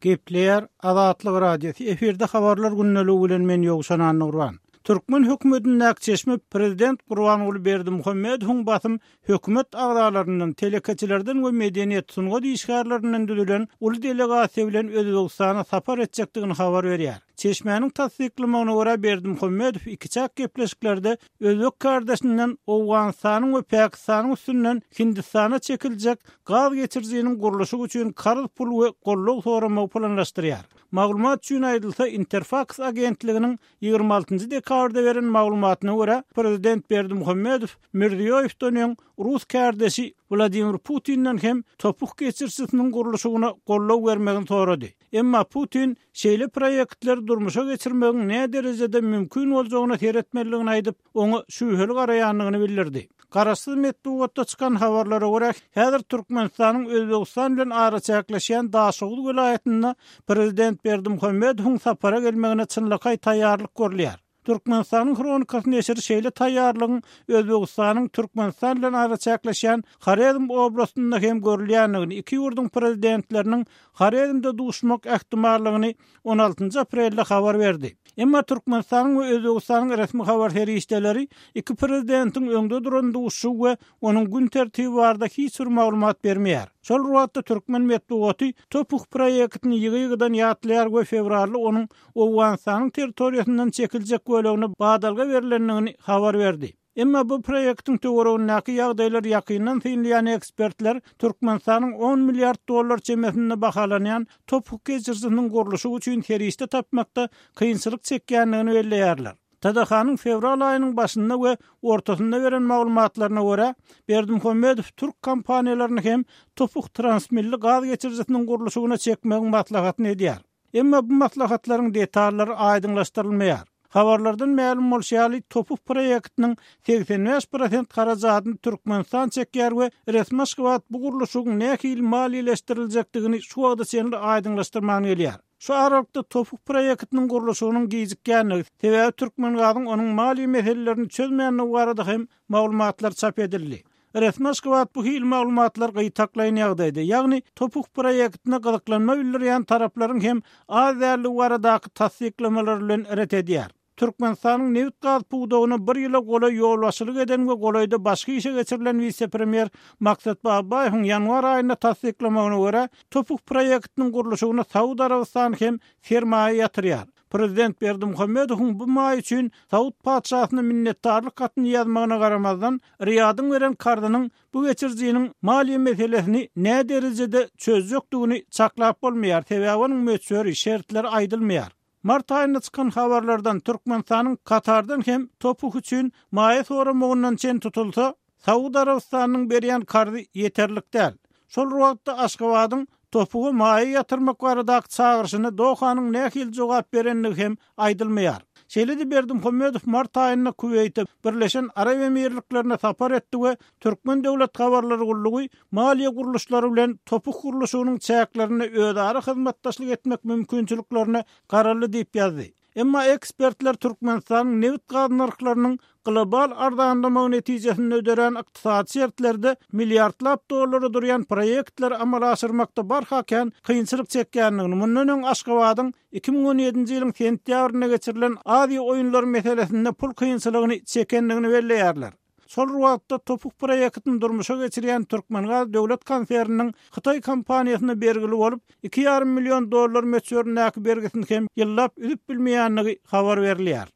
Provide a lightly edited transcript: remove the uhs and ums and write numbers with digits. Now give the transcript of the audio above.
Gepleýär Azatlyk Radiosy, efirde Habarlar gündeligi bilen men Ýowşan Annagurban. Türkmen hökümetindäki çeşme prezident Gurbanguly Berdimuhamedowyň basym hökümet agzalaryndan, telekeçilerden we medeniýet, sungat işgärlerinden düzülen uly delegasiýa bilen Özbegistana sapar etjekdigini habar berýär. Çeşmäniň tassyklamagyna görä, Berdimuhamedow ikiçäk gepleşiklerde özbek kärdeşinden Owganystanyň we Pakistanyň üstünden Hindistana çekiljek gaz geçirijiniň gurluşygy üçin karz pul we goldaw soramagy planlaşdyrýar. Maglumat üçin aýdylsa, Interfaks agentliginiň 26 dekabrda beren maglumatyna görä, prezident Berdimuhamedow Mirziýoýewden öň rus kärdeşi Wladimir Putinden hem topuk geçiricisiniň gurluşygyna goldaw bermegini sorady. Emma Putin şeýle proýektleri durmuşa geçirmegiň näderejede mümkin boljagyna seretmelidigini aýdyp, oňa şübheli garaýandygyny bildirdi. Garaşsyz metbugatda çykan habarlara görä, häzir Türkmenistanyň Özbegistan bilen araçäkleşýän Daşoguz welaýatynda prezident Berdimuhamedowyň sapara gelmegine çynlakaý taýýarlyk görülýär. Türkmenistanyň Hronikasy neşiri şeýle taýýarlygyň Özbegistanyň Türkmenistan bilen araçäkleşýän Horezm oblastynda hem görülýändigini, iki ýurduň prezidentleriniň Horezmde duşmak ähtimallygyny on altynjy aprelde habar berdi. Emma Türkmenistanyň we Özbegistanyň resmi habar serişdeleri iki prezidentiň öňde duran duşuşygy we onuň gün tertibi barada hiç bir maglumat bermeýär. Şol bir wagtda türkmen metbugaty TOPH proýektini ýygy-ýygydan ýatlaýar we fewralda onuň Owganystanyň territoriýasyndan çekiljek bölegine badalga berlendigini habar berdi. Emma bu proýektiň töweregindäki ýagdaýlary ýakyndan synlaýan ekspertler Türkmenistanyň on milliard dollar çemesinde bahalanýan topuk geçirijisiniň gurluşygy üçin serişde tapmakda kynçylyk çekýändigini belleýärler. TDH-nyň fewral aýynyň başynda we ortasynda beren maglumatlaryna görä, Berdimuhamedow türk kompaniýalaryny hem Topuk transmilli gaz geçirijisiniň gurluşygyna çekmegiň maslahatyny edýär. Emma bu maslahatlaryň detallary aýdyňlaşdyrylmaýar. Habarlardan mälim bolşy ýaly, TOPH proýektiniň 85 prosent harajadyny Türkmenistan çekýär we resmi Aşgabat bu gurluşygyň nähili maliýeleşdiriljekdigini şu wagta çenli aýdyňlaşdyrman gelýär. Şu aralykda TOPH proýektiniň gurluşygynyň gijikýändigi, sebäbi Türkmengazyň onuň maliýe meselelerini çözmändigi barada hem maglumatlar çap edildi. Resmi Aşgabat bu hili maglumatlary gytaklaýyn ýagdaýda, ýagny TOPH proýektine gyzyklanma bildirýän taraplaryň hem az däldigi baradaky tassyklamalar bilen ret edýär. Türkmenistanyň nebit-gaz pudagyna bir ýyla golaý ýolbaşçylyk eden we golaýda başga işe geçirilen wise-premýer Maksat Babaýewiň ýanwar aýynda tassyklamagyna görä, TOPH proýektiniň gurluşygyna Saud Arabystany hem sermaýa ýatyrýar. Prezident Berdimuhamedowyň bu maý üçin Saud patyşasyna minnetdarlyk hatyny ýazmagyna garamazdan, Riýadyň beren karzynyň bu geçirijiniň maliýe meselesini näderejede çözjekdigini çaklap bolmaýar, sebäbi onuň möçberi, şertleri aýdylmaýar. Mart aýynda çykan habarlardan Türkmenistanyň Katardan hem TOPH üçin maýa soramagyndan çen tutulsa, Saud Arabystanynyň berýän karzy ýeterlik däl. Şol bir wagtda Aşgabadyň TOPH-a maýa ýatyrmak baradaky çagyryşyna Dohanyň nähili jogap berendigi hem aýdylmaýar. Şeýle-de Berdimuhamedow mart aýynda Kuweýte, Birleşen Arap Emirliklerine sapar etdi we Türkmen döwlet habarlar gullugy maliýe gurluşlary bilen TOPH gurluşygynyň çäklerinde özara hyzmatdaşlyk etmek mümkinçiliklerine garaldy diýip ýazdy. Emma ekspertler Türkmenistanyň nebit-gaz nyrhlarynyň global arzanlamagy netijesinde dörän ykdysady şertlerde milliardlap dollara durýan proýektleri amala aşyrmakda barha kän kynçylyk çekýändigini, mundan öň Aşgabadyň 2017-nji ýylyň sentýabrynda geçirilen Aziýa oýunlary meselesinde pul kynçylygyny çekendigini belleýärler. Şol bir wagtda TOPH proýektini durmuşa geçirýän Türkmengaz döwlet konserniniň hytaý kompaniýasyna bergili bolup, iki ýarym million dollar möçberindäki bergisini hem ýyllap üzüp bilmeýändigi habar berilýär.